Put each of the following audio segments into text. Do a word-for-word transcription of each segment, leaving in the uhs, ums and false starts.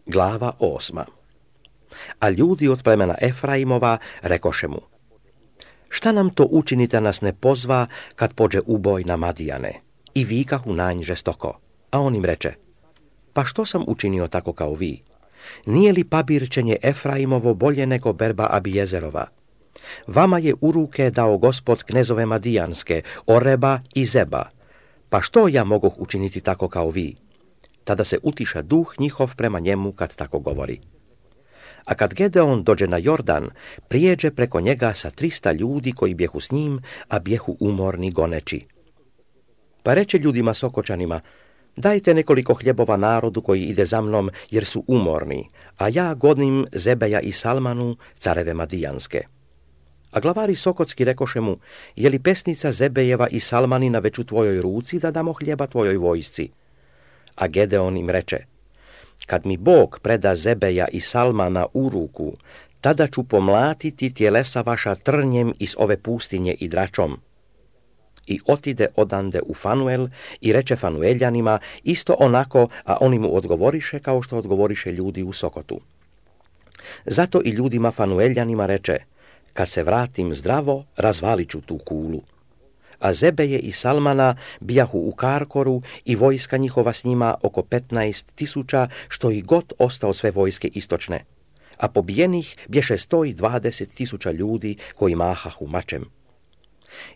Glava osma. A ljudi od plemena Efraimova rekoše mu: Šta nam to učini da nas ne pozva kad pođe uboj na Madijane? I vikahu na nj žestoko. A on im reče: Pa što sam učinio tako kao vi? Nije li pabirčenje Efraimovo bolje nego berba Abijezerova? Vama je u ruke dao Gospod knezove Madijanske, Oreba i Zeba. Pa što ja mogoh učiniti tako kao vi? Tada se utiša duh njihov prema njemu kad tako govori. A kad Gedeon dođe na Jordan, prijeđe preko njega sa trista ljudi koji bjehu s njim, a bjehu umorni goneći. Pa reče ljudima Sokočanima: Dajte nekoliko hljebova narodu koji ide za mnom, jer su umorni, a ja godnim Zebeja i Salmanu, careve Madijanske. A glavari Sokotski rekoše mu: Je li pesnica Zebejeva i Salmanina već u tvojoj ruci da damo hljeba tvojoj vojsci? A Gedeon im reče: Kad mi Bog preda Zebeja i Salmana u ruku, tada ću pomlatiti tjelesa vaša trnjem iz ove pustinje i dračom. I otide odande u Fanuel i reče Fanueljanima isto onako, a oni mu odgovoriše kao što odgovoriše ljudi u Sokotu. Zato i ljudima Fanueljanima reče: Kad se vratim zdravo, razvalit ću tu kulu. A Zebeje i Salmana bijahu u Karkoru i vojska njihova s njima oko petnaest tisuća, što i god ostao sve vojske istočne. A pobijenih bješe sto i dvadeset tisuća ljudi koji mahahu mačem.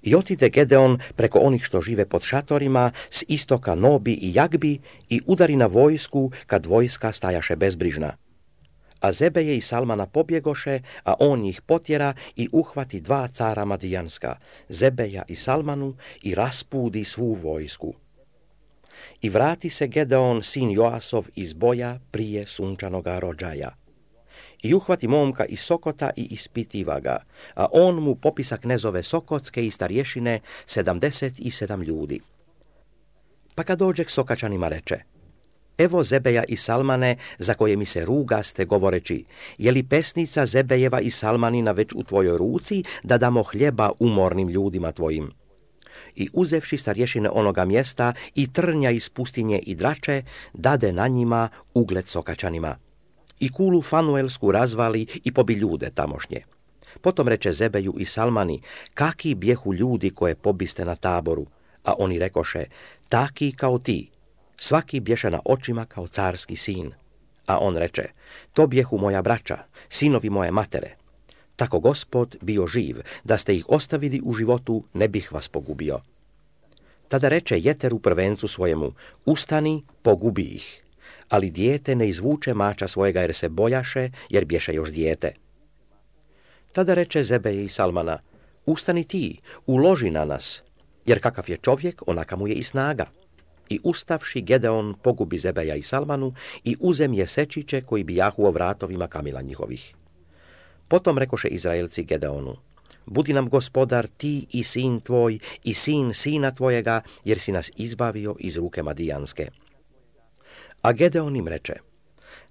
I otide Gedeon preko onih što žive pod šatorima s istoka Nobi i Jagbi i udari na vojsku kad vojska stajaše bezbrižna. A Zebeje i Salmana pobjegoše, a on ih potjera i uhvati dva cara Madijanska, Zebeja i Salmanu, i raspudi svu vojsku. I vrati se Gedeon, sin Joasov, iz boja prije sunčanoga rođaja. I uhvati momka iz Sokota i ispitiva ga, a on mu popisa knezove Sokotske i starješine sedamdeset i sedam ljudi. Pa kad dođe k Sokačanima reče: Evo Zebeja i Salmane, za koje mi se rugaste govoreći: Je li pesnica Zebejeva i Salmanina već u tvojoj ruci da damo hljeba umornim ljudima tvojim? I uzevši starješine onoga mjesta i trnja iz pustinje i drače, dade na njima ugled Sokačanima. I kulu Fanuelsku razvali i pobi ljude tamošnje. Potom reče Zebeju i Salmani: Kaki bjehu ljudi koje pobiste na Taboru? A oni rekoše: Taki kao ti. Svaki bješe na očima kao carski sin. A on reče: To bjehu moja braća, sinovi moje matere. Tako Gospod bio živ, da ste ih ostavili u životu, ne bih vas pogubio. Tada reče Jeteru prvencu svojemu: Ustani, pogubi ih. Ali dijete ne izvuče mača svojega jer se bojaše, jer bješe još dijete. Tada reče Zebeje i Salmana: Ustani ti, uloži na nas, jer kakav je čovjek, onaka mu je i snaga. I ustavši Gedeon pogubi Zebeja i Salmanu i uzemje sečiće koji bijahu o vratovima kamila njihovih. Potom rekoše Izraelci Gedeonu: Budi nam gospodar ti i sin tvoj i sin sina tvojega, jer si nas izbavio iz ruke Madijanske. A Gedeon im reče: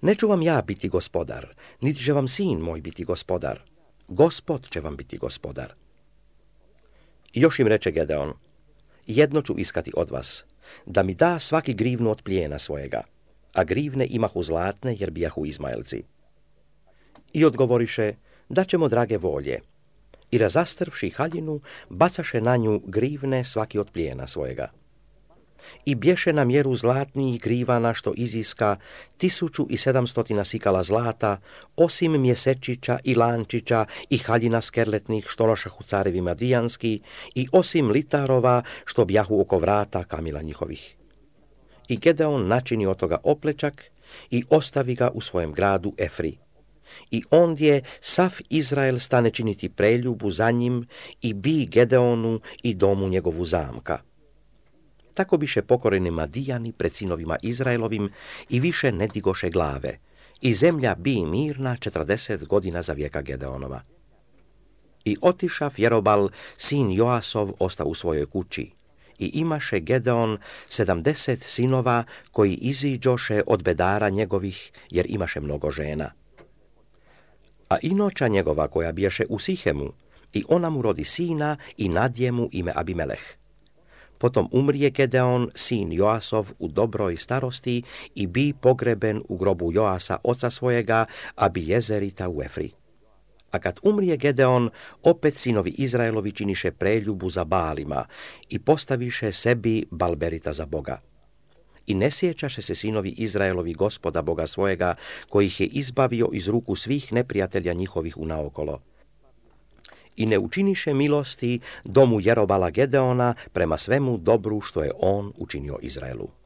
Ne ću vam ja biti gospodar, niti će vam sin moj biti gospodar. Gospod će vam biti gospodar. I još im reče Gedeon: Jedno ću iskati od vas, da mi da svaki grivnu od plijena svojega, a grivne imahu zlatne, jer bijahu Izmaelci. I odgovoriše: Da ćemo drage volje. I razastrvši haljinu, bacaše na nju grivne svaki od plijena svojega. I bješe na mjeru zlatnih grivana što iziska tisuću i sedamstotina sikala zlata, osim mjesečića i lančića i haljina skerletnih što nošahu carevi Madijanski, i osim litarova što bjahu oko vrata kamila njihovih. I Gedeon načini od toga oplečak i ostavi ga u svojem gradu Efri. I ondje sav Izrael stane činiti preljubu za njim i bi Gedeonu i domu njegovu zamka. Tako biše pokoreni Madijani pred sinovima Izraelovim i više ne digoše glave. I zemlja bi mirna četrdeset godina za vijeka Gedeonova. I otišav Jerobal, sin Joasov, osta u svojoj kući. I imaše Gedeon sedamdeset sinova koji iziđoše od bedara njegovih, jer imaše mnogo žena. A inoča njegova koja bijaše u Sihemu, i ona mu rodi sina i nadje mu ime Abimeleh. Potom umrije Gedeon, sin Joasov, u dobroj starosti i bi pogreben u grobu Joasa, oca svojega, Abijezerita u Efri. A kad umrije Gedeon, opet sinovi Izraelovi činiše preljubu za Baalima i postaviše sebi Balberita za Boga. I ne sjećaše se sinovi Izraelovi Gospoda Boga svojega, koji ih je izbavio iz ruku svih neprijatelja njihovih unaokolo. I ne učiniše milosti domu Jerobala Gedeona prema svemu dobru što je on učinio Izraelu.